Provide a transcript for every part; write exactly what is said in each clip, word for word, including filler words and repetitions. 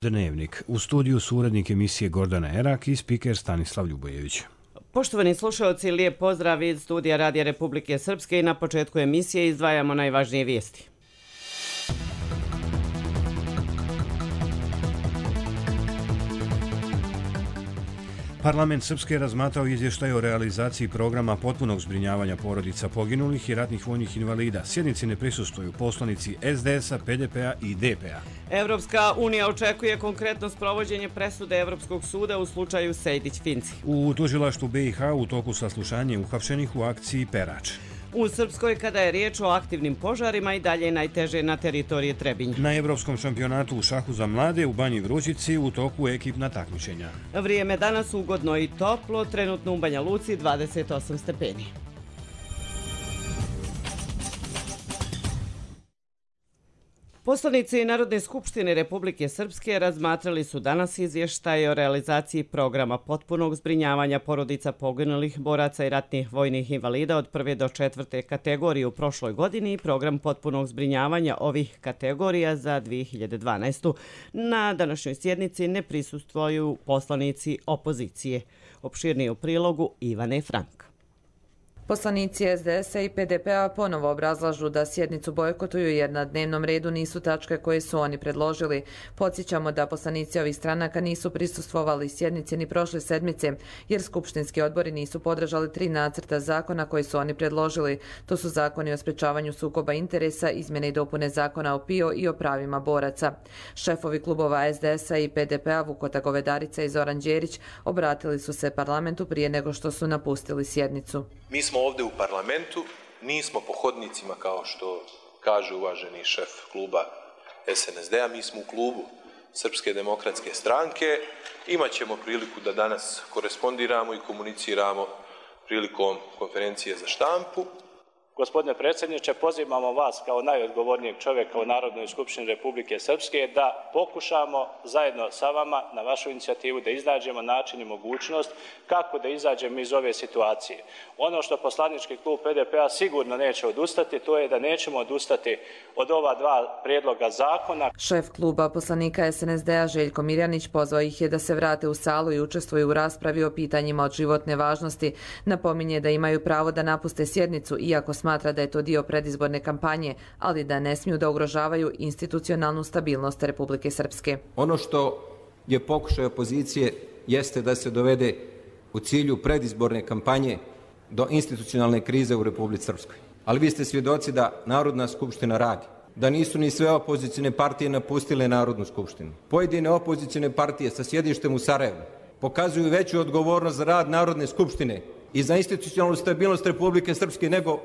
Dnevnik. U studiju su urednik emisije Gordana Erak i spiker Stanislav Ljubojević. Poštovani slušalci, lijep pozdrav iz studija Radija Republike Srpske i na početku emisije izdvajamo najvažnije vijesti. Parlament Srpske je razmatrao izvještaj o realizaciji programa potpunog zbrinjavanja porodica poginulih i ratnih vojnih invalida. Sjednici ne prisustvuju poslanici S D S-a, P D P-a i D P-a. Evropska unija očekuje konkretno sprovođenje presude Evropskog suda u slučaju Sejdić-Finci. U tužilaštvu B i H u toku saslušanja uhapšenih u akciji Perač. U Srpskoj, kada je riječ o aktivnim požarima, i dalje najteže na teritoriji Trebinja. Na Evropskom šampionatu u šahu za mlade u Banji Vrućici u toku ekipna takmičenja. Vrijeme danas ugodno i toplo, trenutno u Banja Luci dvadeset osam stepeni. Poslanici Narodne skupštine Republike Srpske razmatrali su danas izvještaj o realizaciji programa potpunog zbrinjavanja porodica poginulih boraca i ratnih vojnih invalida od prve do četvrte kategorije u prošloj godini i program potpunog zbrinjavanja ovih kategorija za dvije hiljade dvanaestu. Na današnjoj sjednici ne prisustvuju poslanici opozicije. Opširnije u prilogu Ivane Frank. Poslanici S D S-a i P D P-a ponovo obrazlažu da sjednicu bojkotuju jer na dnevnom redu nisu tačke koje su oni predložili. Podsjećamo da poslanici ovih stranaka nisu prisustvovali sjednici ni prošle sedmice jer skupštinski odbori nisu podržali tri nacrta zakona koje su oni predložili. To su zakoni o sprečavanju sukoba interesa, izmjene i dopune zakona o P I O i o pravima boraca. Šefovi klubova S D S-a i P D P-a Vukota Govedarica i Zoran Đerić obratili su se parlamentu prije nego što su napustili sjednicu. Mi smo ovdje u parlamentu, nismo po hodnicima kao što kaže uvaženi šef kluba S N S D-a, mi smo u klubu Srpske demokratske stranke. Imaćemo priliku da danas korespondiramo i komuniciramo prilikom konferencije za štampu. Gospodine predsjedniče, pozivamo vas kao najodgovornijeg čovjeka u Narodnoj skupštini Republike Srpske da pokušamo zajedno sa vama na vašu inicijativu da iznađemo način i mogućnost kako da izađemo iz ove situacije. Ono što poslanički klub P D P-a sigurno neće odustati, to je da nećemo odustati od ova dva prijedloga zakona. Šef kluba poslanika S N S D-a Željko Mirjanić pozvao ih je da se vrate u salu i učestvuju u raspravi o pitanjima od životne važnosti. Napominje da imaju pravo da napuste sjednicu iako smatra da je to dio predizborne kampanje, ali da ne smiju da ugrožavaju institucionalnu stabilnost Republike Srpske. Ono što je pokušaj opozicije jeste da se dovede u cilju predizborne kampanje do institucionalne krize u Republici Srpskoj. Ali vi ste svjedoci da Narodna skupština radi, da nisu ni sve opozicijne partije napustile Narodnu skupštinu. Pojedine opozicijne partije sa sjedištem u Sarajevu pokazuju veću odgovornost za rad Narodne skupštine i za institucionalnu stabilnost Republike Srpske nego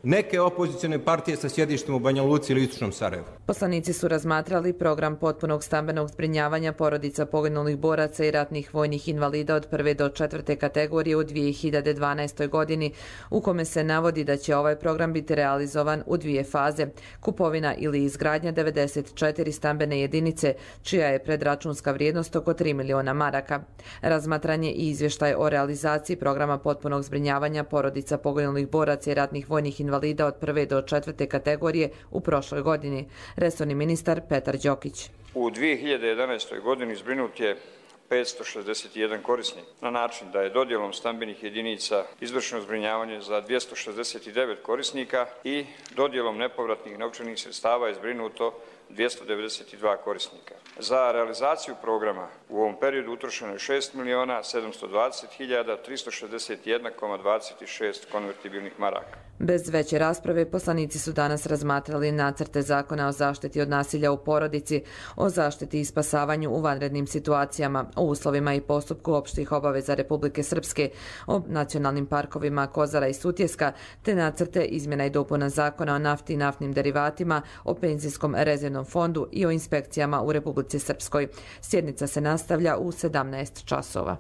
neke opozicijne partije sa sjedištem u Banja Luci ili Istočnom Sarajevu. Poslanici su razmatrali program potpunog stambenog zbrinjavanja porodica poginulih boraca i ratnih vojnih invalida od prve do četvrte kategorije u dvije hiljade dvanaestoj godini, u kome se navodi da će ovaj program biti realizovan u dvije faze. Kupovina ili izgradnja devedeset četiri stambene jedinice, čija je predračunska vrijednost oko tri miliona maraka. Razmatranje i izvještaj o realizaciji programa potpunog zbrinjavanja porodica poginulih boraca i ratnih vojnih invalida invalida od prve do četvrte kategorije u prošloj godini. Resorni ministar Petar Đokić. U dvije hiljade jedanaestoj godini zbrinut je petsto šezdeset jedan korisnik na način da je dodjelom stambenih jedinica izvršeno zbrinjavanje za dvjesto šezdeset devet korisnika i dodjelom nepovratnih novčanih sredstava je zbrinuto dvjesto devedeset dva korisnika. Za realizaciju programa u ovom periodu utrošeno je šest miliona sedamsto dvadeset hiljada tristo šezdeset jedan zarez dvadeset šest konvertibilnih maraka. Bez veće rasprave, poslanici su danas razmatrali nacrte zakona o zaštiti od nasilja u porodici, o zaštiti i spasavanju u vanrednim situacijama, o uslovima i postupku opštih obaveza Republike Srpske, o nacionalnim parkovima Kozara i Sutjeska, te nacrte izmjena i dopuna zakona o nafti i naftnim derivatima, o penzijskom rezervnom fondu i o inspekcijama u Republici Srpskoj. Sjednica se nastavlja u sedamnaest časova.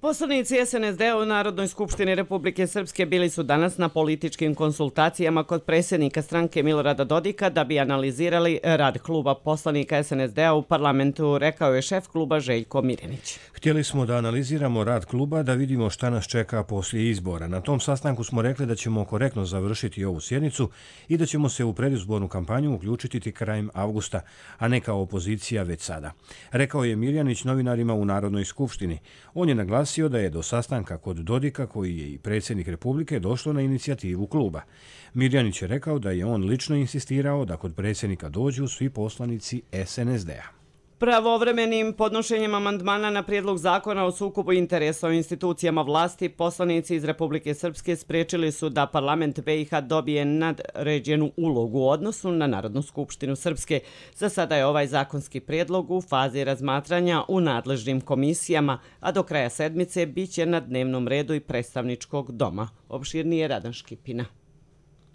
Poslanici es en es de u Narodnoj skupštini Republike Srpske bili su danas na političkim konsultacijama kod predsjednika stranke Milorada Dodika da bi analizirali rad kluba poslanika es en es de u parlamentu, rekao je šef kluba Željko Mirjanić. Htjeli smo da analiziramo rad kluba, da vidimo šta nas čeka poslije izbora. Na tom sastanku smo rekli da ćemo korektno završiti ovu sjednicu i da ćemo se u predizbornu kampanju uključiti krajem avgusta, a ne kao opozicija već sada, rekao je Mirjanić novinarima u Narodnoj skupštini. On je naglasio da je do sastanka kod Dodika, koji je i predsjednik Republike, došlo na inicijativu kluba. Mirjanić je rekao da je on lično insistirao da kod predsjednika dođu svi poslanici es en es de-a. Pravovremenim podnošenjem amandmana na prijedlog zakona o sukobu interesa o institucijama vlasti, poslanici iz Republike Srpske spriječili su da parlament be i ha dobije nadređenu ulogu u odnosu na Narodnu skupštinu Srpske. Za sada je ovaj zakonski prijedlog u fazi razmatranja u nadležnim komisijama, a do kraja sedmice bit će na dnevnom redu i predstavničkog doma. Opširnije Radan Škipina.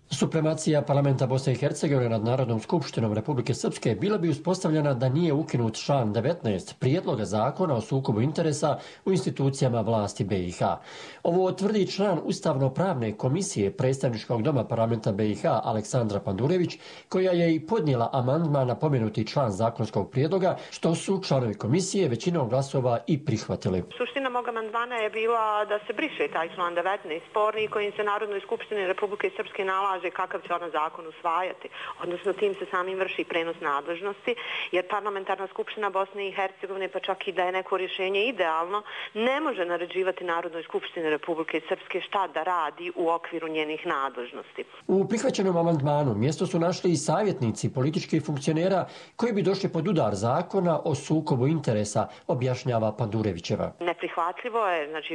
Supremacija parlamenta Bosne i Hercegovine nad Narodnom skupštinom Republike Srpske bila bi uspostavljena da nije ukinut član devetnaest prijedloga zakona o sukobu interesa u institucijama vlasti be i ha. Ovo tvrdi član Ustavno-pravne komisije predstavničkog doma parlamenta be i ha Aleksandra Pandurević, koja je i podnijela amandman na pomenuti član zakonskog prijedloga, što su članovi komisije većinom glasova i prihvatili. Suština mog amandmana je bila da se briše taj član devetnaest sporni kojim se Narodnoj skupštini Republike Srpske nalaže kakav će ona zakon usvajati, odnosno tim se samim vrši prenos nadležnosti, jer parlamentarna skupština Bosne i Hercegovine, pa čak i da je neko rješenje idealno, ne može naređivati Narodnoj skupštini Republike Srpske šta da radi u okviru njenih nadležnosti. U prihvaćenom amandmanu mjesto su našli i savjetnici političkih funkcionera koji bi došli pod udar zakona o sukobu interesa, objašnjava Pandurevićeva. Neprihvatljivo je, znači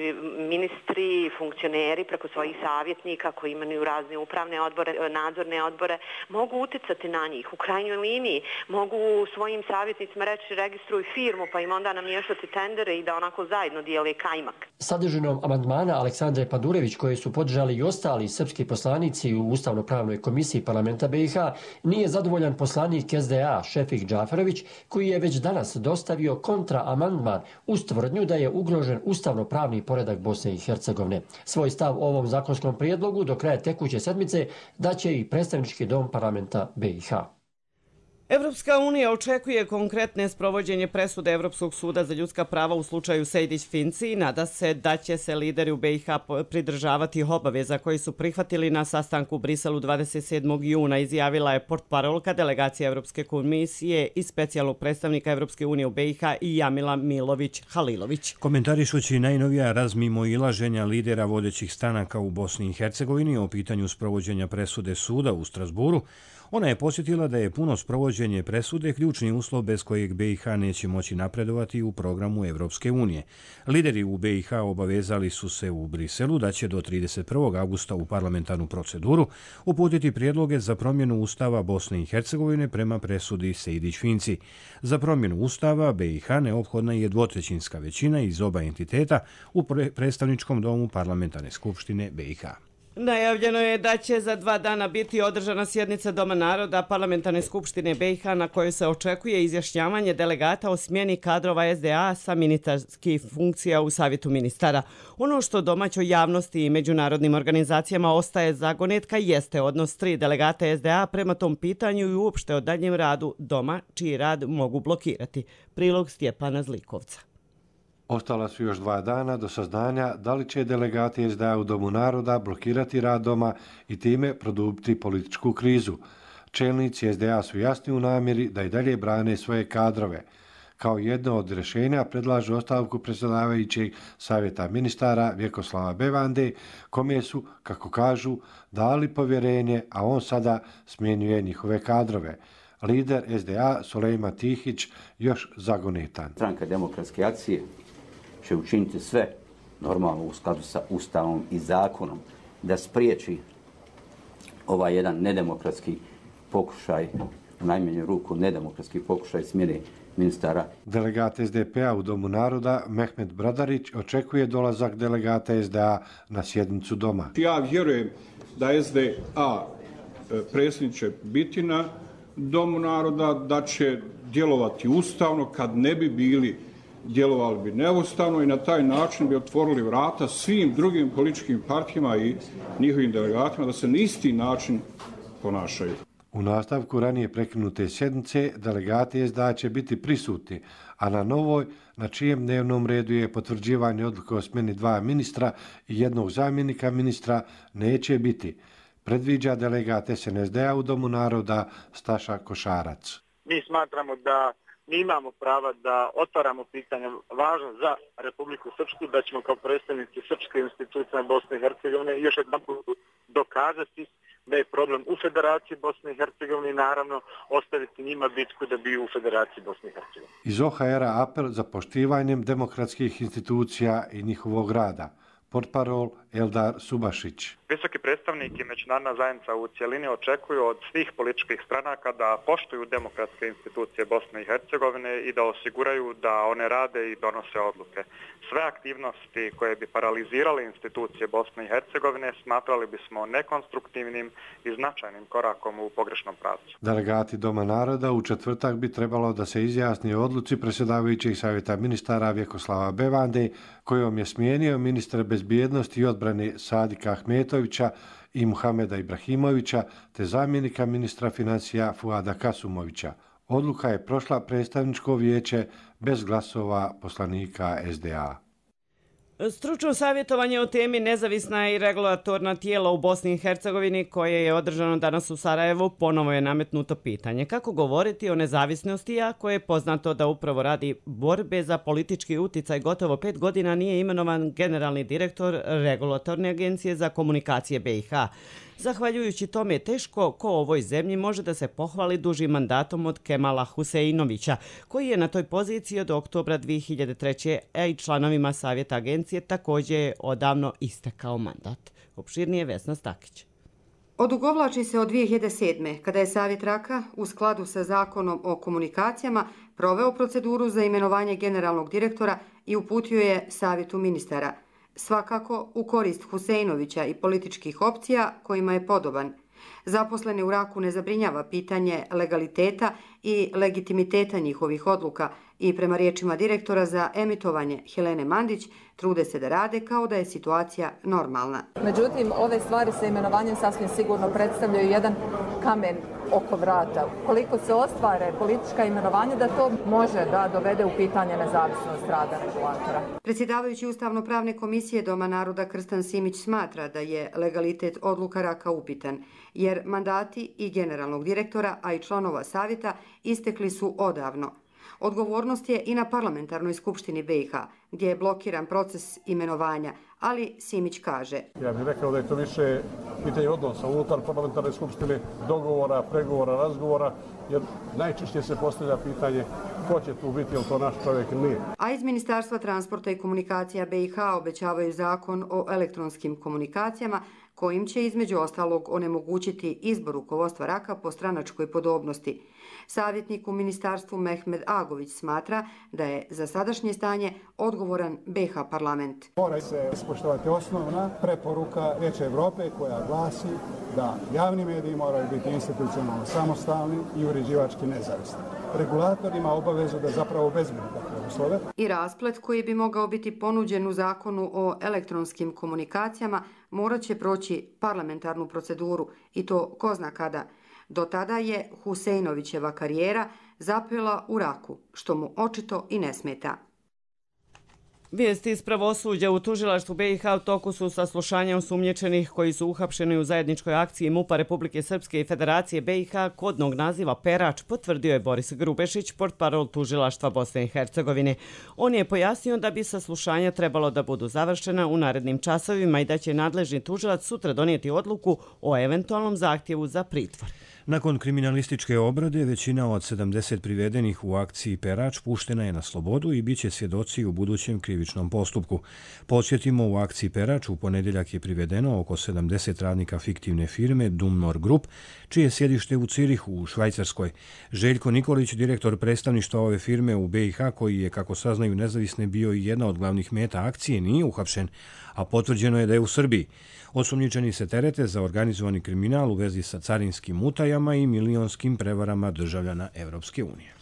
ministri, funkcioneri preko svojih savjetnika koji imaju razne upravne odbore, nadzorne odbore, mogu uticati na njih. U krajnjoj liniji mogu svojim savjetnicima reći registruj firmu pa im onda namještati tendere i da onako zajedno dijele kajmak. Sadržinom amandmana Aleksandre Pandurević, koje su podržali i ostali srpski poslanici u Ustavno-pravnoj komisiji parlamenta be i ha, nije zadovoljan poslanik es de a Šefik Džaferović, koji je već danas dostavio kontra amandman uz tvrdnju da je ugrožen ustavno-pravni poredak Bosne i Hercegovine. Svoj stav o ovom zakonskom prijedlogu do kraja tekuće sedmice daće i predstavnički dom parlamenta be i ha. Evropska unija očekuje konkretne sprovođenje presude Evropskog suda za ljudska prava u slučaju Sejdić-Finci i nada se da će se lideri u be i ha pridržavati obaveza koji su prihvatili na sastanku u Briselu dvadeset sedmog juna, izjavila je portparolka delegacije Evropske komisije i specijalnog predstavnika Evropske unije u be i ha i Jamila Milović-Halilović. Komentarišući najnovija razmimoilaženja lidera vodećih stranaka u Bosni i Hercegovini o pitanju sprovođenja presude suda u Strasburu, ona je posjetila da je puno sprovođenje presude ključni uslov bez kojeg be i ha neće moći napredovati u programu Evropske unije. Lideri u be i ha obavezali su se u Briselu da će do trideset prvog avgusta u parlamentarnu proceduru uputiti prijedloge za promjenu Ustava Bosne i Hercegovine prema presudi Sejdić-Finci. Za promjenu Ustava be i ha neophodna je dvotrećinska većina iz oba entiteta u predstavničkom domu parlamentarne skupštine be i ha. Najavljeno je da će za dva dana biti održana sjednica Doma naroda parlamentarne skupštine be i ha na kojoj se očekuje izjašnjavanje delegata o smjeni kadrova es de a sa ministarskih funkcija u Savjetu ministara. Ono što domaćoj javnosti i međunarodnim organizacijama ostaje zagonetka jeste odnos tri delegata es de a prema tom pitanju i uopšte o daljem radu Doma, čiji rad mogu blokirati. Prilog Stjepana Zlikovca. Ostala su još dva dana do saznanja da li će delegati es de a u Domu naroda blokirati rad Doma i time produbiti političku krizu. Čelnici es de a su jasni u namjeri da i dalje brane svoje kadrove. Kao jedno od rješenja predlažu ostavku predsjedavajućeg Savjeta ministara Vjekoslava Bevande, kome su, kako kažu, dali povjerenje, a on sada smjenjuje njihove kadrove. Lider es de a Sulejman Tihić još zagonetan. Stranka demokratske akcije će učiniti sve normalno u skladu sa Ustavom i zakonom da spriječi ovaj jedan nedemokratski pokušaj, u najmanju ruku nedemokratski pokušaj smjene ministara. Delegat es de pe-a u Domu naroda Mehmet Bradarić očekuje dolazak delegata es de a na sjednicu Doma. Ja vjerujem da es de a predsjednik će biti na Domu naroda, da će djelovati ustavno kad ne bi bili djelovali bi neustavno i na taj način bi otvorili vrata svim drugim političkim partijama i njihovim delegatima da se na isti način ponašaju. U nastavku ranije prekinute sjednice delegati S D A će biti prisutni, a na novoj, na čijem dnevnom redu je potvrđivanje odluke o smjeni dva ministra i jednog zamjenika ministra, neće biti, predviđa delegat S N S D-a u Domu naroda Staša Košarac. Mi smatramo da mi imamo prava da otvaramo pitanje važno za Republiku Srpsku, da ćemo kao predstavnici Srpske institucije Bosne i Hercegovine još jednom dokazati da je problem u Federaciji Bosne i Hercegovine i naravno ostaviti njima bitku da bi u Federaciji Bosne i Hercegovine. Iz O H R-a apel za poštivanjem demokratskih institucija i njihovog rada. Portparol Eldar Subašić. Visoki predstavnik i međunarodna zajednica u cjelini očekuju od svih političkih stranaka da poštuju demokratske institucije Bosne i Hercegovine i da osiguraju da one rade i donose odluke. Sve aktivnosti koje bi paralizirale institucije Bosne i Hercegovine smatrali bismo nekonstruktivnim i značajnim korakom u pogrešnom pravcu. Delegati Doma naroda u četvrtak bi trebalo da se izjasni o odluci predsjedavajućeg savjeta ministara Vjekoslava Bevande, kojom je smijenio ministra bezbjednosti i odbrane Sadika Ahmetovića i Muhameda Ibrahimovića, te zamjenika ministra financija Fuada Kasumovića. Odluka je prošla predstavničko vijeće bez glasova poslanika S D A. Stručno savjetovanje o temi nezavisna i regulatorna tijela u Bosni i Hercegovini koje je održano danas u Sarajevu ponovo je nametnuto pitanje kako govoriti o nezavisnosti, ako je poznato da upravo radi borbe za politički uticaj gotovo pet godina nije imenovan generalni direktor Regulatorne agencije za komunikacije B i H. Zahvaljujući tome teško ko ovoj zemlji može da se pohvali dužim mandatom od Kemala Huseinovića, koji je na toj poziciji od oktobra dvije hiljade treće. a i članovima savjeta agencije također je odavno istekao mandat. Opširnije Vesna Stakić. Odugovlači se od dvije hiljade sedme. kada je Savjet Raka u skladu sa zakonom o komunikacijama proveo proceduru za imenovanje generalnog direktora i uputio je Savjetu ministara. Svakako u korist Huseinovića i političkih opcija kojima je podoban. Zaposlene u Raku ne zabrinjava pitanje legaliteta i legitimiteta njihovih odluka i prema riječima direktora za emitovanje Helene Mandić trude se da rade kao da je situacija normalna. Međutim, ove stvari sa imenovanjem sasvim sigurno predstavljaju jedan kamen oko vrata. Koliko se ostvare politička imenovanja da to može da dovede u pitanje nezavisnost rada regulatora. Predsjedavajući Ustavno-pravne komisije Doma naroda Krstan Simić smatra da je legalitet odluka Raka upitan, jer mandati i generalnog direktora, a i članova savjeta istekli su odavno. Odgovornost je i na parlamentarnoj skupštini B i H, gdje je blokiran proces imenovanja, ali Simić kaže. Ja bih rekao da je to više pitanje odnosa unutar parlamentarne skupštine, dogovora, pregovora, razgovora, jer najčešće se postavlja pitanje ko će tu biti, je li to naš čovjek ili nije. A iz Ministarstva transporta i komunikacija B i H obećavaju zakon o elektronskim komunikacijama, kojim će između ostalog onemogućiti izbor rukovodstva Raka po stranačkoj podobnosti. Savjetnik u ministarstvu Mehmed Agović smatra da je za sadašnje stanje odgovoran B i H parlament. Mora se ispoštovati osnovna preporuka Vijeća Evrope koja glasi da javni mediji moraju biti institucionalno samostalni i uređivački nezavisni. Regulator ima obavezu da zapravo obezbedi takve uslove. I rasplet koji bi mogao biti ponuđen u zakonu o elektronskim komunikacijama morat će proći parlamentarnu proceduru i to ko zna kada. Do tada je Huseinovićeva karijera zapela u Raku, što mu očito i ne smeta. Vijesti iz pravosuđa u tužilaštvu B i H u toku su saslušanja osumnjičenih koji su uhapšeni u zajedničkoj akciji MUP-a Republike Srpske i Federacije B i H kodnog naziva Perač, potvrdio je Boris Grubešić, portparol tužilaštva Bosne i Hercegovine. On je pojasnio da bi saslušanja trebalo da budu završena u narednim časovima i da će nadležni tužilac sutra donijeti odluku o eventualnom zahtjevu za pritvor. Nakon kriminalističke obrade, većina od sedamdeset privedenih u akciji Perač puštena je na slobodu i bit će svjedoci u budućem krivičnom postupku. Podsjetimo, u akciji Perač u ponedjeljak je privedeno oko sedamdeset radnika fiktivne firme Dumnor Group, čije sjedište u Cirihu u Švajcarskoj. Željko Nikolić, direktor predstavništva ove firme u B i H, koji je, kako saznaju nezavisne, bio i jedna od glavnih meta akcije, nije uhapšen, a potvrđeno je da je u Srbiji. Osumnjičeni se terete za organizovani kriminal u vezi sa carinskim utajama i milionskim prevarama državljana Evropske unije.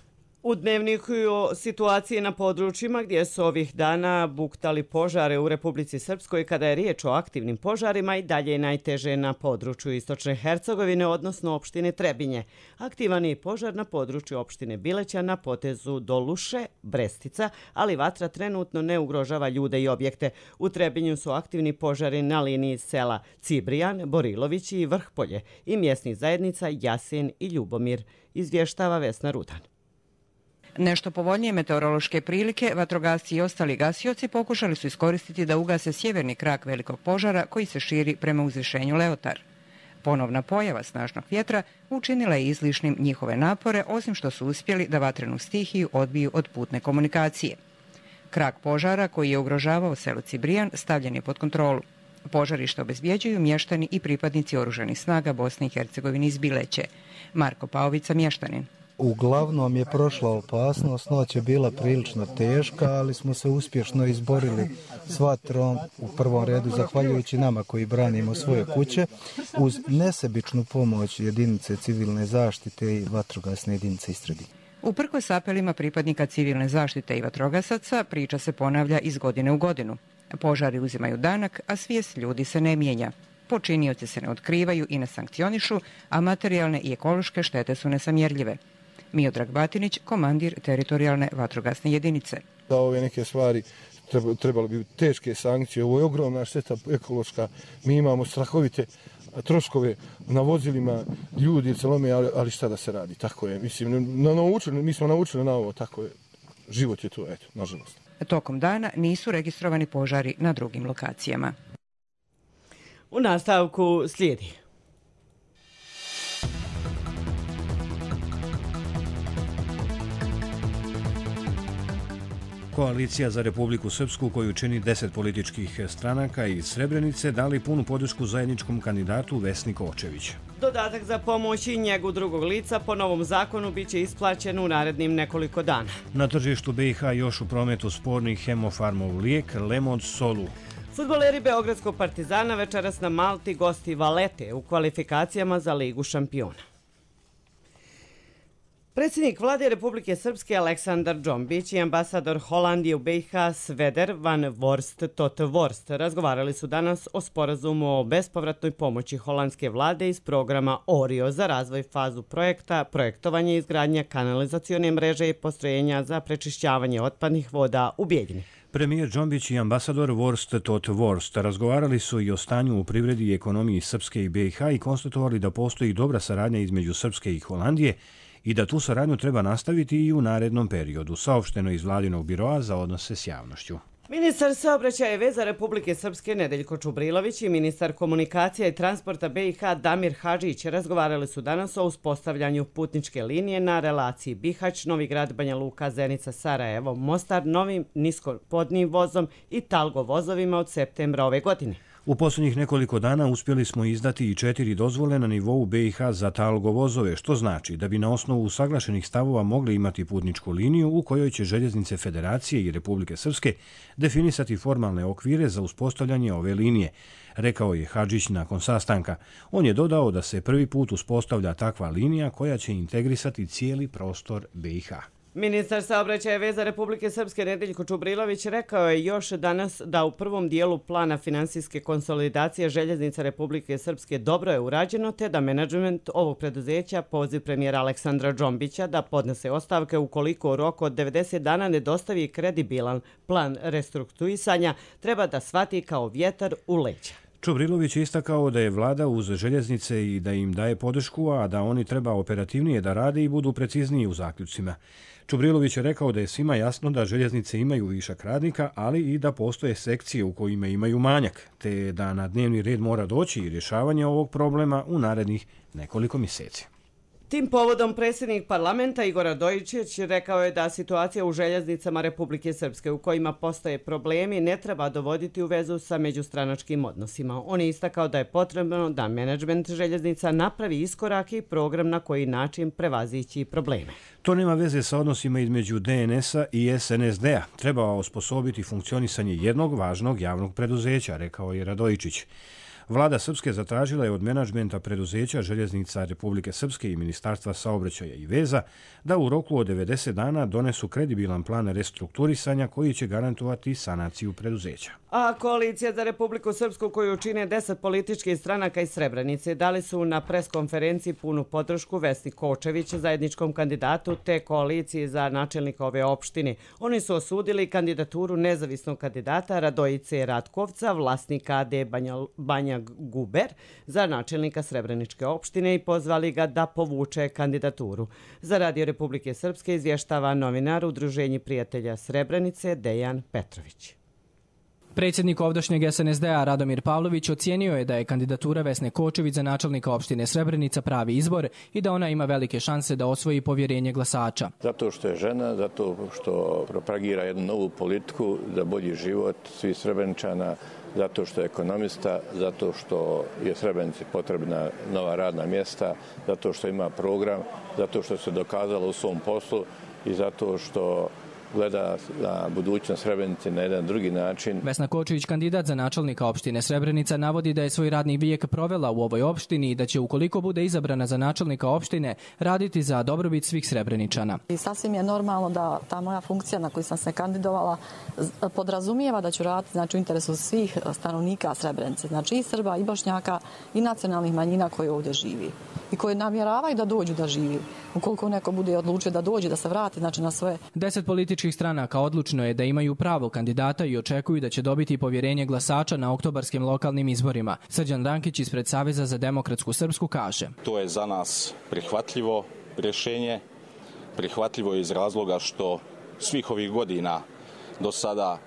U dnevniku o situaciji na područjima gdje su ovih dana buktali požare u Republici Srpskoj, kada je riječ o aktivnim požarima, i dalje je najteže na području Istočne Hercegovine, odnosno opštine Trebinje. Aktivan je požar na području opštine Bileća na potezu do Luše, Brestica, ali vatra trenutno ne ugrožava ljude i objekte. U Trebinju su aktivni požari na liniji sela Cibrijan, Borilović i Vrhpolje i mjesnih zajednica Jasen i Ljubomir, izvještava Vesna Rudan. Nešto povoljnije meteorološke prilike, vatrogasci i ostali gasioci pokušali su iskoristiti da ugase sjeverni krak velikog požara koji se širi prema uzvišenju Leotar. Ponovna pojava snažnog vjetra učinila je izlišnim njihove napore, osim što su uspjeli da vatrenu stihiju odbiju od putne komunikacije. Krak požara koji je ugrožavao selo Cibrijan stavljen je pod kontrolu. Požarište obezbjeđuju mještani i pripadnici oružanih snaga Bosne i Hercegovine iz Bileće. Marko Paovica, mještanin. Uglavnom je prošla opasnost, noć je bila prilično teška, ali smo se uspješno izborili s vatrom, u prvom redu zahvaljujući nama koji branimo svoje kuće, uz nesebičnu pomoć jedinice civilne zaštite i vatrogasne jedinice iz Trebinja. Uprkos apelima pripadnika civilne zaštite i vatrogasaca, priča se ponavlja iz godine u godinu. Požari uzimaju danak, a svijest ljudi se ne mijenja. Počinioci se ne otkrivaju i ne sankcionišu, a materijalne i ekološke štete su nesamjerljive. Miodrag Batinić, komandir teritorijalne vatrogasne jedinice. Da ove neke stvari trebalo bi teške sankcije. Ovo je ogromna šteta ekološka. Mi imamo strahovite troškove na vozilima, ljudi celome, ali, ali šta da se radi? Tako je. Mislim, na, naučili, mi smo naučili na ovo, tako je. Život je to, eto, nažalost. Tokom dana nisu registrovani požari na drugim lokacijama. U nastavku slijedi. Koalicija za Republiku Srpsku, koju čini deset političkih stranaka iz Srebrenice, dali punu podršku zajedničkom kandidatu Vesni Kočević. Dodatak za pomoć i njegu drugog lica po novom zakonu biće isplaćen u narednim nekoliko dana. Na tržištu B i H još u prometu sporni Hemofarmov lijek Lemod Solu. Fudbaleri Beogradskog Partizana večeras na Malti gosti Valete u kvalifikacijama za Ligu šampiona. Predsjednik vlade Republike Srpske Aleksandar Džombić i ambasador Holandije u B i H Sveder van Vorst tot Vorst razgovarali su danas o sporazumu o bespovratnoj pomoći holandske vlade iz programa Orio za razvoj fazu projekta, projektovanje i izgradnja kanalizacione mreže i postrojenja za prečišćavanje otpadnih voda u Bijeljini. Premijer Džombić i ambasador Vorst tot Vorst razgovarali su i o stanju u privredi i ekonomiji Srpske i B i H i konstatovali da postoji dobra saradnja između Srpske i Holandije i da tu saradnju treba nastaviti i u narednom periodu, saopšteno iz vladinog biroa za odnose s javnošću. Ministar saobraćaja i veza Republike Srpske Nedeljko Čubrilović i ministar komunikacija i transporta B i H Damir Hadžić razgovarali su danas o uspostavljanju putničke linije na relaciji Bihać, Novi Grad, Banja Luka, Zenica, Sarajevo, Mostar, novim niskopodnim vozom i talgo vozovima od septembra ove godine. U posljednjih nekoliko dana uspjeli smo izdati i četiri dozvole na nivou B i H za talgo vozove, što znači da bi na osnovu usaglašenih stavova mogli imati putničku liniju u kojoj će željeznice Federacije i Republike Srpske definisati formalne okvire za uspostavljanje ove linije, rekao je Hadžić nakon sastanka. On je dodao da se prvi put uspostavlja takva linija koja će integrisati cijeli prostor B i H. Ministar saobraćaja i veza Republike Srpske Nedeljko Čubrilović rekao je još danas da u prvom dijelu plana finansijske konsolidacije željeznica Republike Srpske dobro je urađeno, te da menadžment ovog preduzeća poziv premijera Aleksandra Džombića da podnese ostavke ukoliko u roku od devedeset dana ne dostavi kredibilan plan restrukturisanja treba da shvati kao vjetar u leđa. Čubrilović je istakao da je vlada uz željeznice i da im daje podršku, a da oni treba operativnije da rade i budu precizniji u zaključcima. Čubrilović je rekao da je svima jasno da željeznice imaju višak radnika, ali i da postoje sekcije u kojima imaju manjak, te da na dnevni red mora doći i rješavanje ovog problema u narednih nekoliko mjeseci. Tim povodom predsjednik parlamenta Igor Radojičić rekao je da situacija u željeznicama Republike Srpske u kojima postoje problemi ne treba dovoditi u vezu sa međustranačkim odnosima. On je istakao da je potrebno da menadžment željeznica napravi iskorak i program na koji način prevazići probleme. To nema veze sa odnosima između D N S-a i S N S D-a. Treba osposobiti funkcionisanje jednog važnog javnog preduzeća, rekao je Radojičić. Vlada Srpske zatražila je od menadžmenta preduzeća Željeznica Republike Srpske i Ministarstva saobraćaja i veza da u roku od devedeset dana donesu kredibilan plan restrukturisanja koji će garantovati sanaciju preduzeća. A Koalicija za Republiku Srpsku, koju čine deset političkih stranaka iz Srebrenice, dali su na preskonferenciji punu podršku Vesni Kočević, zajedničkom kandidatu te koaliciji za načelnika ove opštine. Oni su osudili kandidaturu nezavisnog kandidata Radojice Ratkovca, vlasnika A D Banja, Banja Guber, za načelnika Srebreničke opštine i pozvali ga da povuče kandidaturu. Za Radio Republike Srpske izvještava novinar Udruženja prijatelja Srebrenice Dejan Petrović. Predsjednik ovdašnjeg S N S D-a Radomir Pavlović ocijenio je da je kandidatura Vesne Kočević za načelnika opštine Srebrenica pravi izbor i da ona ima velike šanse da osvoji povjerenje glasača. Zato što je žena, zato što propagira jednu novu politiku za bolji život svih Srebreničana, zato što je ekonomista, zato što je Srebrenici potrebna nova radna mjesta, zato što ima program, zato što se dokazala u svom poslu i zato što gleda na budućnost Srebrenice na jedan drugi način. Vesna Kočević, kandidat za načelnika opštine Srebrenica, navodi da je svoj radni vijek provela u ovoj opštini i da će, ukoliko bude izabrana za načelnika opštine, raditi za dobrobit svih Srebreničana. I sasvim je normalno da ta moja funkcija na koju sam se kandidovala podrazumijeva da ću raditi, znači, u interesu svih stanovnika Srebrenice, znači i Srba, i Bošnjaka, i nacionalnih manjina koji ovdje živi i koji namjeravaju da dođu da živi. Ukoliko neko bude odlučio da dođe, da se vrati, znači, na svoje... Deset političkih stranaka odlučno je da imaju pravo kandidata i očekuju da će dobiti povjerenje glasača na oktobarskim lokalnim izborima. Srđan Rankić ispred Saveza za demokratsku Srpsku kaže: To je za nas prihvatljivo rješenje, prihvatljivo iz razloga što svih ovih godina do sada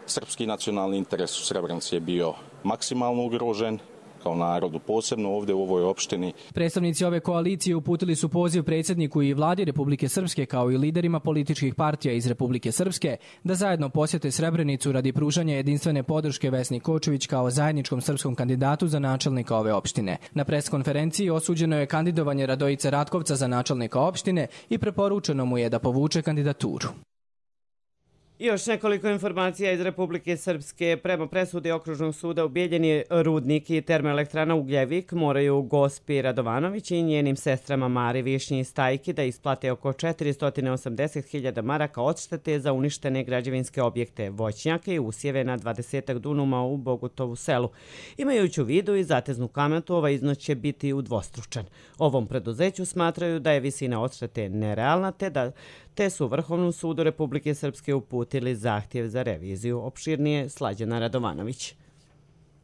srpski nacionalni interes u Srebrenici je bio maksimalno ugrožen, kao narodu, posebno ovdje u ovoj opštini. Predstavnici ove koalicije uputili su poziv predsjedniku i vladi Republike Srpske kao i liderima političkih partija iz Republike Srpske da zajedno posjete Srebrenicu radi pružanja jedinstvene podrške Vesni Kočević kao zajedničkom srpskom kandidatu za načelnika ove opštine. Na preskonferenciji osuđeno je kandidovanje Radojice Ratkovca za načelnika opštine i preporučeno mu je da povuče kandidaturu. Još nekoliko informacija iz Republike Srpske. Prema presudi Okružnog suda u Bijeljini, rudnik i termoelektrana Ugljevik moraju Gospi Radovanović i njenim sestrama Mari Višnji i Stajki da isplate oko četiristo osamdeset hiljada maraka odštete za uništene građevinske objekte, voćnjake i usjeve na dvadesetak dunuma u Bogutovu selu. Imajući u vidu i zateznu kamatu, ovaj iznos će biti udvostručen. Ovom preduzeću smatraju da je visina odštete nerealna, te da te su Vrhovnom sudu Republike Srpske uputili zahtjev za reviziju. Opširnije Slađana Radovanović.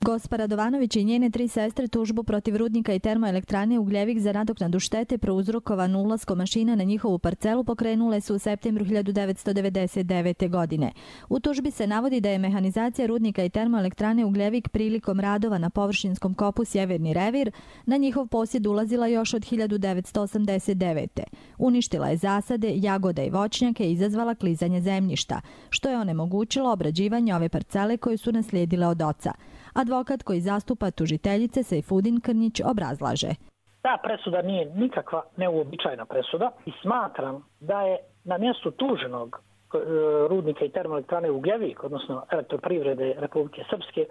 Gospa Radovanović i njene tri sestre tužbu protiv rudnika i termoelektrane Ugljevik za nadoknadu štete prouzrokovan ulaskom mašina na njihovu parcelu pokrenule su u septembru hiljadu devetsto devedeset devete. godine. U tužbi se navodi da je mehanizacija rudnika i termoelektrane Ugljevik prilikom radova na površinskom kopu Sjeverni revir na njihov posjed ulazila još od hiljadu devetsto osamdeset devete. Uništila je zasade, jagode i voćnjake i izazvala klizanje zemljišta, što je onemogućilo obrađivanje ove parcele koje su naslijedile od oca. Advokat koji zastupa tužiteljice Sejfudin Krnjić obrazlaže: Ta presuda nije nikakva neuobičajena presuda i smatram da je na mjestu tuženog rudnika i termoelektrane Ugljevik, odnosno Elektroprivrede Republike Srpske,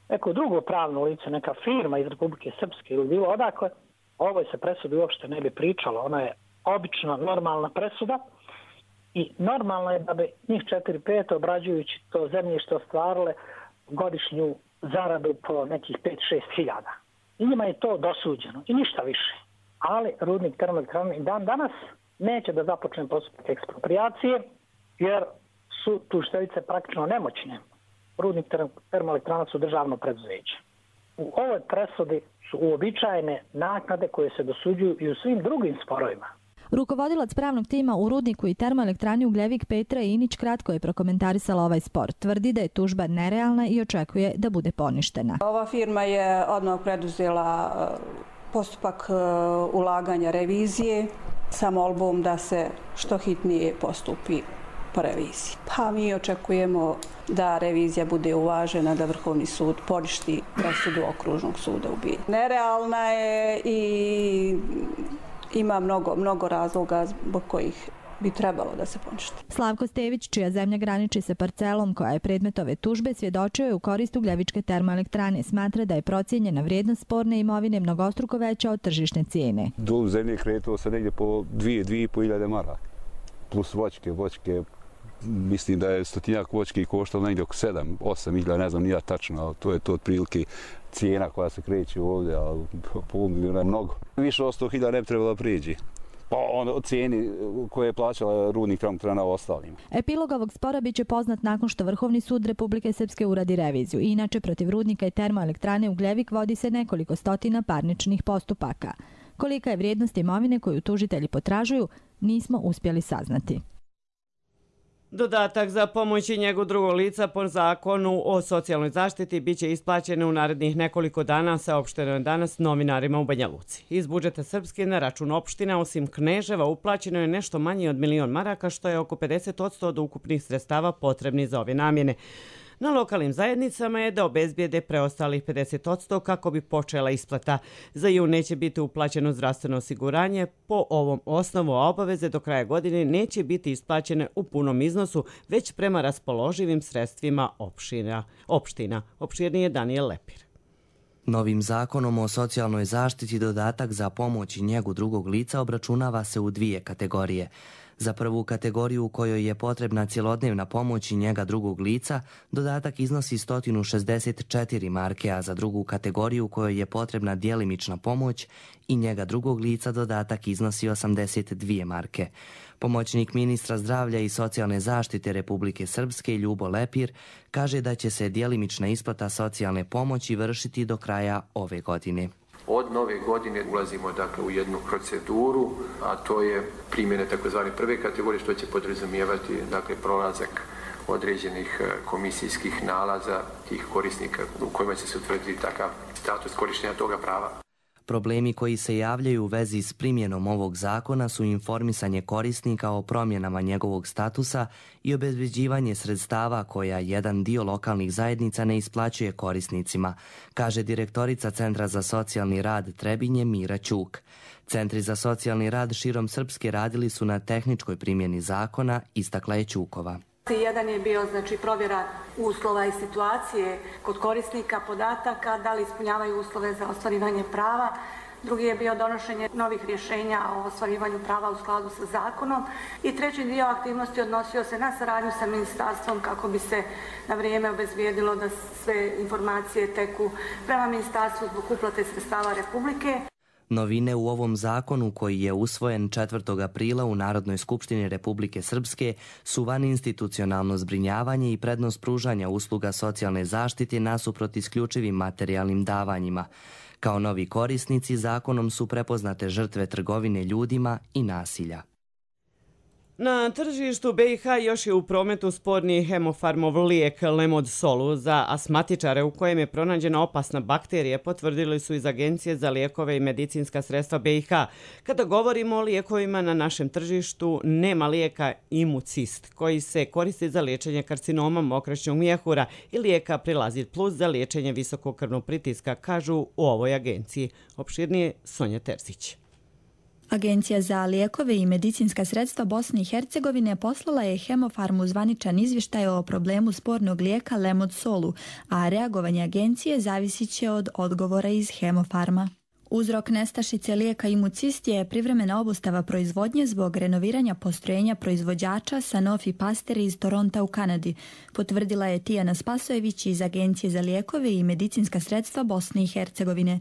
neko drugo pravno lice, neka firma iz Republike Srpske ili bilo odakle, o ovoj se presudi uopšte ne bi pričalo. Ona je obična, normalna presuda i normalno je da bi njih četiri pet obrađujući to zemljište ostvarile godišnju zaradu po nekih pet šest hiljada. I njima je to dosuđeno i ništa više. Ali rudnik termoelektrane i dan danas neće da započne postupak ekspropriacije jer su tužiteljice praktično nemoćne. Rudnik termoelektrana su državno preduzeće. U ovoj presudi su uobičajene naknade koje se dosuđuju i u svim drugim sporovima. Rukovodilac pravnog tima u rudniku i termoelektrani Ugljevik Petra Inić kratko je prokomentarisala ovaj spor. Tvrdi da je tužba nerealna i očekuje da bude poništena. Ova firma je odmah preduzela postupak ulaganja revizije sa molbom da se što hitnije postupi po reviziji. Pa mi očekujemo da revizija bude uvažena, da Vrhovni sud poništi presudu Okružnog suda u Bijeljini. Nerealna je i ima mnogo, mnogo razloga zbog kojih bi trebalo da se poništi. Slavko Stević, čija zemlja graniči sa parcelom koja je predmet ove tužbe, svjedočio je u korist Ugljevičke termoelektrane. Smatra da je procijenjena vrijednost sporne imovine mnogostruko veća od tržišne cijene. Dol zemlje kretao se negdje po dvije, dvije i po hiljade maraka. Plus voćke, voćke, mislim da je stotinjak voćke koštalo negdje oko sedam, osam hiljada, ne znam nija tačno, ali to je to otprilike cijena koja se kreće ovdje, ali po milijuna je mnogo. Više od sto hiljada ne bi trebalo prijeđi. Pa ono cijeni koje je plaćala rudnik termoelektrana ostalim. Epilog ovog spora biće poznat nakon što Vrhovni sud Republike Srpske uradi reviziju. Inače, protiv rudnika i termoelektrane Ugljevik vodi se nekoliko stotina parničnih postupaka. Kolika je vrijednost imovine koju tužitelji potražuju, nismo uspjeli saznati. Dodatak za pomoć i njegu drugog lica po zakonu o socijalnoj zaštiti biće isplaćen u narednih nekoliko dana, saopšteno je danas novinarima u Banja Luci. Iz budžeta Srpske na račun opština, osim Kneževa, uplaćeno je nešto manje od milion maraka, što je oko pedeset posto od ukupnih sredstava potrebnih za ove namjene. Na lokalnim zajednicama je da obezbijede preostalih pedeset posto kako bi počela isplata. Za jun neće biti uplaćeno zdravstveno osiguranje. Po ovom osnovu obaveze do kraja godine neće biti isplaćene u punom iznosu, već prema raspoloživim sredstvima opština. opština. Opširniji je Daniel Lepir. Novim zakonom o socijalnoj zaštiti dodatak za pomoć i njegu drugog lica obračunava se u dvije kategorije. Za prvu kategoriju u kojoj je potrebna cjelodnevna pomoć i njega drugog lica, dodatak iznosi sto šezdeset četiri marke, a za drugu kategoriju u kojoj je potrebna djelimična pomoć i njega drugog lica dodatak iznosi osamdeset dvije marke. Pomoćnik ministra zdravlja i socijalne zaštite Republike Srpske Ljubo Lepir kaže da će se djelimična isplata socijalne pomoći vršiti do kraja ove godine. Od nove godine ulazimo dakle, u jednu proceduru, a to je primjene takozvane prve kategorije, što će podrazumijevati dakle, prolazak određenih komisijskih nalaza tih korisnika u kojima će se utvrditi takav status korištenja toga prava. Problemi koji se javljaju u vezi s primjenom ovog zakona su informisanje korisnika o promjenama njegovog statusa i obezbeđivanje sredstava koja jedan dio lokalnih zajednica ne isplaćuje korisnicima, kaže direktorica Centra za socijalni rad Trebinje Mira Ćuk. Centri za socijalni rad širom Srpske radili su na tehničkoj primjeni zakona, istakla je Ćukova. Jedan je bio znači, provjera uslova i situacije kod korisnika podataka, da li ispunjavaju uslove za ostvarivanje prava. Drugi je bio donošenje novih rješenja o ostvarivanju prava u skladu sa zakonom. I treći dio aktivnosti odnosio se na saradnju sa ministarstvom kako bi se na vrijeme obezbijedilo da sve informacije teku prema ministarstvu zbog uplate sredstava Republike. Novine u ovom zakonu, koji je usvojen četvrtog aprila u Narodnoj skupštini Republike Srpske, su vaninstitucionalno zbrinjavanje i prednost pružanja usluga socijalne zaštite nasuprot isključivim materijalnim davanjima. Kao novi korisnici, zakonom su prepoznate žrtve trgovine ljudima i nasilja. Na tržištu B i H još je u prometu sporni hemofarmov lijek Lemod Solu za astmatičare u kojem je pronađena opasna bakterija, potvrdili su iz Agencije za lijekove i medicinska sredstva B i H. Kada govorimo o lijekovima na našem tržištu, nema lijeka Imucist, koji se koristi za liječenje karcinoma mokraćnog mjehura i lijeka Prilazit Plus za liječenje visokog krvnog pritiska, kažu u ovoj agenciji. Opširnije Sonja Terzić. Agencija za lijekove i medicinska sredstva Bosne i Hercegovine poslala je Hemofarmu zvaničan izvještaj o problemu spornog lijeka Lemod Solu, a reagovanje agencije zavisit će od odgovora iz Hemofarma. Uzrok nestašice lijeka Imucist je privremena obustava proizvodnje zbog renoviranja postrojenja proizvođača Sanofi Pasteur iz Toronta u Kanadi, potvrdila je Tijana Spasojević iz Agencije za lijekove i medicinska sredstva Bosne i Hercegovine.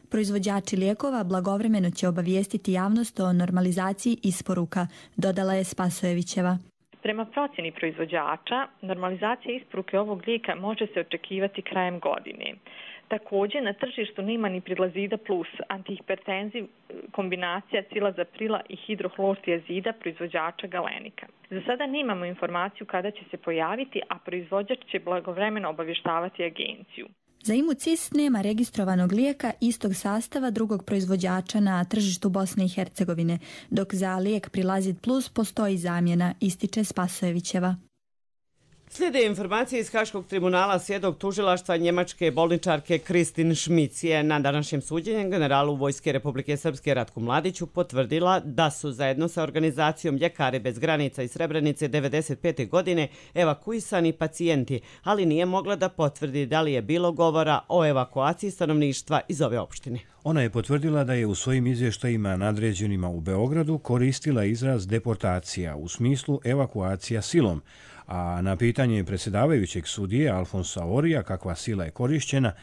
Proizvođači lijekova blagovremeno će obavijestiti javnost o normalizaciji isporuka, dodala je Spasojevićeva. Prema procjeni proizvođača, normalizacija isporuke ovog lijeka može se očekivati krajem godine. Također, na tržištu nema ni Prilazida Plus, antihipertenziv kombinacija cilazaprila i hidrohlortiazida proizvođača Galenika. Za sada nemamo informaciju kada će se pojaviti, a proizvođač će blagovremeno obavještavati agenciju. Za Imucist nema registrovanog lijeka istog sastava drugog proizvođača na tržištu Bosne i Hercegovine, dok za lijek Prilazit Plus postoji zamjena, ističe Spasojevićeva. Slijede informacije iz Haškog tribunala. Svjedok tužilaštva njemačke bolničarke Kristin Šmic je na današnjem suđenju generalu Vojske Republike Srpske Ratku Mladiću potvrdila da su zajedno sa organizacijom Ljekari bez granica iz Srebrenice devedeset pete godine evakuisani pacijenti, ali nije mogla da potvrdi da li je bilo govora o evakuaciji stanovništva iz ove opštine. Ona je potvrdila da je u svojim izvještajima nadređenima u Beogradu koristila izraz deportacija u smislu evakuacija silom, a na pitanje predsjedavajućeg sudije Alfonsa Orija kakva sila je korišćena,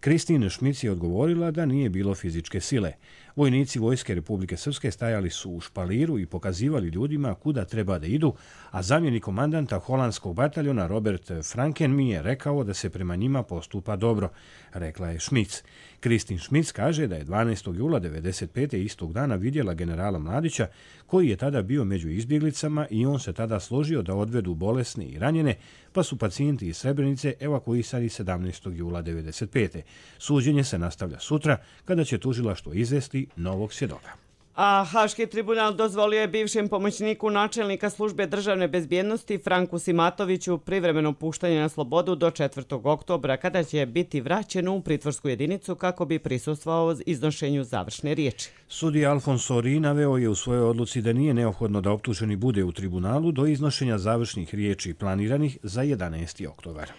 Kristin Šmic je odgovorila da nije bilo fizičke sile. Vojnici Vojske Republike Srpske stajali su u špaliru i pokazivali ljudima kuda treba da idu, a zamjenik komandanta holandskog bataljona Robert Franken mi je rekao da se prema njima postupa dobro, rekla je Šmic. Kristin Šmic kaže da je dvanaestog jula devedeset pete istog dana vidjela generala Mladića, koji je tada bio među izbjeglicama i on se tada složio da odvedu bolesne i ranjene, pa su pacijenti iz Srebrenice evakuisani sedamnaestog jula devedeset pete Suđenje se nastavlja sutra, kada će tužilaštvo izvesti novog svjedoka. A Haški tribunal dozvolio je bivšem pomoćniku načelnika službe državne bezbjednosti Franku Simatoviću privremeno puštanje na slobodu do četvrtog oktobra, kada će biti vraćen u pritvorsku jedinicu kako bi prisustvovao iznošenju završne riječi. Sudija Alfonso Ori naveo je u svojoj odluci da nije neophodno da optuženi bude u tribunalu do iznošenja završnih riječi planiranih za jedanaesti oktobar.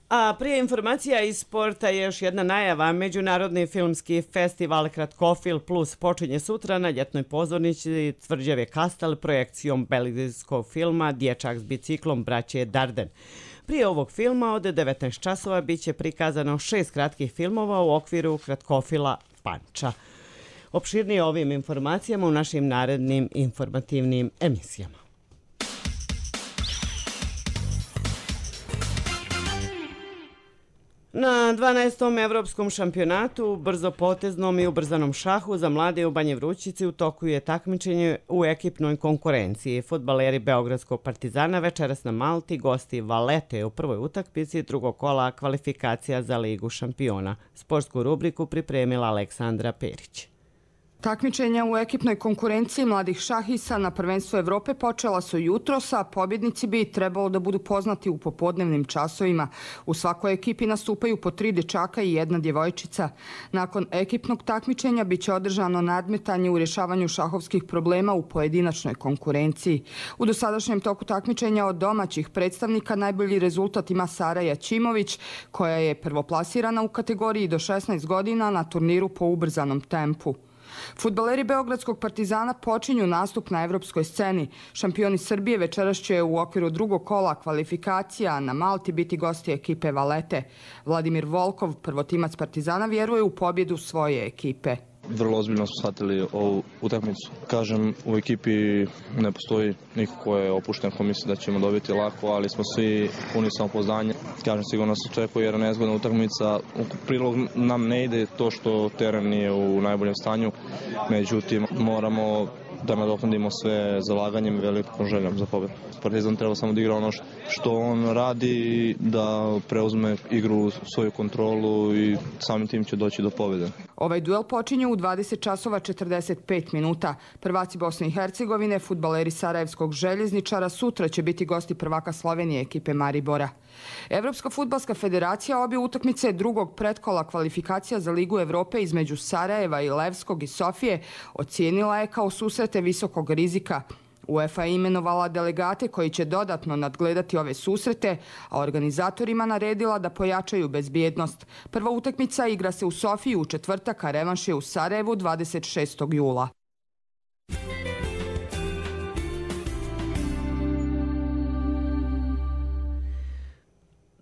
A prije informacija iz sporta je još jedna najava. Međunarodni filmski festival Kratkofil Plus počinje sutra na ljetnoj pozornici Tvrđave Kastel projekcijom belgijskog filma Dječak s biciklom braće Darden. Prije ovog filma od devetnaest časova bit će prikazano šest kratkih filmova u okviru Kratkofila Panča. Opširnije ovim informacijama u našim narednim informativnim emisijama. Na dvanaestom evropskom šampionatu, brzopoteznom i ubrzanom šahu za mlade u Banje Vrućici u toku je takmičenje u ekipnoj konkurenciji. Fudbaleri Beogradskog Partizana večeras na Malti gosti Valete u prvoj utakmici drugog kola kvalifikacija za Ligu šampiona. Sportsku rubriku pripremila Aleksandra Perić. Takmičenja u ekipnoj konkurenciji mladih šahista na prvenstvu Evrope počela su jutros, a pobjednici bi trebalo da budu poznati u popodnevnim časovima. U svakoj ekipi nastupaju po tri dečaka i jedna djevojčica. Nakon ekipnog takmičenja biće održano nadmetanje u rješavanju šahovskih problema u pojedinačnoj konkurenciji. U dosadašnjem toku takmičenja od domaćih predstavnika najbolji rezultat ima Sara Jačimović, koja je prvoplasirana u kategoriji do šesnaest godina na turniru po ubrzanom tempu. Fudbaleri Beogradskog Partizana počinju nastup na evropskoj sceni. Šampioni Srbije večeras će u okviru drugog kola kvalifikacija na Malti biti gosti ekipe Valete. Vladimir Volkov, prvotimac Partizana, vjeruje u pobjedu svoje ekipe. Vrlo ozbiljno smo shvatili ovu utakmicu. Kažem, u ekipi ne postoji niko ko je opušten, ko misli da ćemo dobiti lako, ali smo svi puni samopouzdanja. Kažem, sigurno se očekuje jer nezgodna utakmica. U prilog nam ne ide to što teren nije u najboljem stanju, međutim moramo da nadoknadimo sve zalaganjem i velikom željom za pobjedu. Partizan treba samo da igra ono što on radi, da preuzme igru u svoju kontrolu i samim tim će doći do pobjede. Ovaj duel počinje u dvadeset časova četrdeset pet minuta. Prvaci Bosne i Hercegovine, fudbaleri Sarajevskog Željezničara, sutra će biti gosti prvaka Slovenije ekipe Maribora. Evropska fudbalska federacija obje utakmice drugog pretkola kvalifikacija za Ligu Evrope između Sarajeva i Levskog i Sofije ocijenila je kao susrete visokog rizika. UEFA je imenovala delegate koji će dodatno nadgledati ove susrete, a organizatorima naredila da pojačaju bezbjednost. Prva utakmica igra se u Sofiji u četvrtak, a revanš je u Sarajevu dvadeset šestog jula.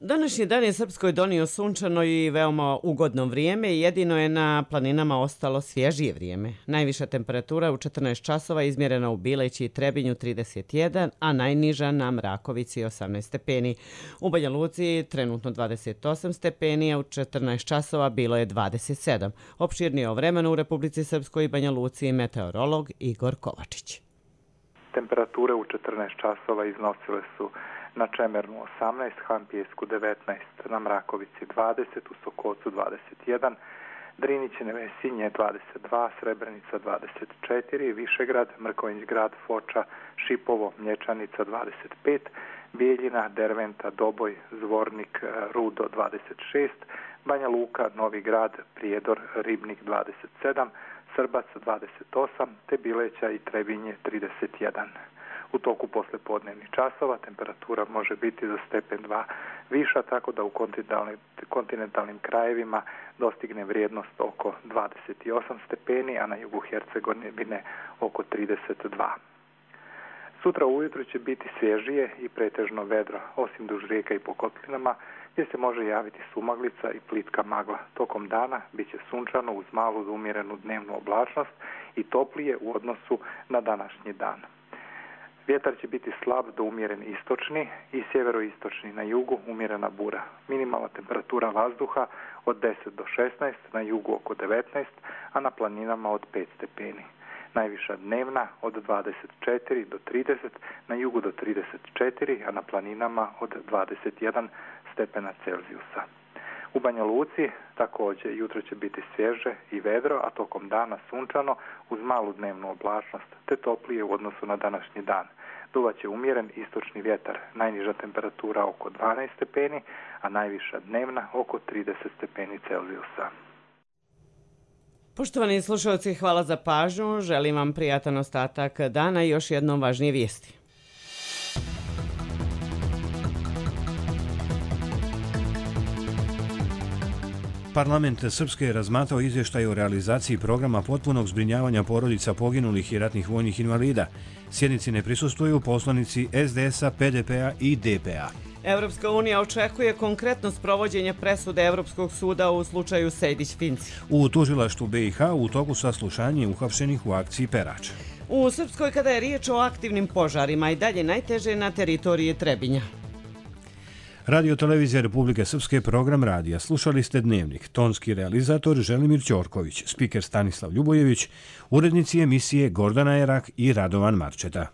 Današnji dan je Srpskoj donio sunčano i veoma ugodno vrijeme, jedino je na planinama ostalo svježije vrijeme. Najviša temperatura u četrnaest časova izmjerena u Bileći i Trebinju trideset jedan, a najniža na Mrakovici osamnaest stepeni. U Banja Luci trenutno dvadeset osam stepeni, a u četrnaest časova bilo je dvadeset sedam. Opširnije o vremenu u Republici Srpskoj i Banja Luci meteorolog Igor Kovačić. Temperature u četrnaest časova iznosile su na Čemernu osamnaest, Hampijesku devetnaest, na Mrakovici dvadeset, u Sokocu dvadeset jedan, Driniće, Nevesinje dvadeset dva, Srebrenica dvadeset četiri, Višegrad, Mrkonjić Grad, Foča, Šipovo, Mlječanica dvadeset pet, Bijeljina, Derventa, Doboj, Zvornik, Rudo dvadeset šest, Banja Luka, Novi Grad, Prijedor, Ribnik dvadeset sedam, Srbac dvadeset osam, te Bileća i Trebinje trideset jedan. U toku poslepodnevnih časova temperatura može biti za stepen dva viša, tako da u kontinentalnim, kontinentalnim krajevima dostigne vrijednost oko dvadeset osam stepeni, a na jugu Hercegovine oko trideset dva. Sutra ujutro će biti svježije i pretežno vedro, osim duž rijeka i po kotlinama, gdje se može javiti sumaglica i plitka magla. Tokom dana bit će sunčano uz malu umjerenu dnevnu oblačnost i toplije u odnosu na današnji dan. Vjetar će biti slab do umjeren istočni i sjeveroistočni, na jugu umjerena bura. Minimalna temperatura vazduha od deset do šesnaest, na jugu oko devetnaest, a na planinama od pet stepeni. Najviša dnevna od dvadeset četiri do trideset, na jugu do trideset četiri, a na planinama od dvadeset jedan stepena Celzijusa. U Banja Luci također jutro će biti svježe i vedro, a tokom dana sunčano uz malu dnevnu oblačnost, te toplije u odnosu na današnji dan. Duvat će umjeren istočni vjetar, najniža temperatura oko dvanaest stepeni, a najviša dnevna oko trideset stepeni Celzijusa. Poštovani slušalci, hvala za pažnju. Želim vam prijatan ostatak dana i još jednom važnije vijesti. Parlament Srpske je razmatrao izvještaj o realizaciji programa potpunog zbrinjavanja porodica poginulih i ratnih vojnih invalida. Sjednici ne prisustvuju poslanici S D S-a, P D P-a i D P-a. Evropska unija očekuje konkretno sprovođenje presude Evropskog suda u slučaju Sejdić-Finci. U tužilaštvu B i H u toku saslušanja uhapšenih u akciji Perač. U Srpskoj, kada je riječ o aktivnim požarima, i dalje najteže na teritoriji Trebinja. Radio Televizija Republike Srpske, program radija. Slušali ste Dnevnik. Tonski realizator Želimir Ćorković, spiker Stanislav Ljubojević, urednici emisije Gordana Jerak i Radovan Marčeta.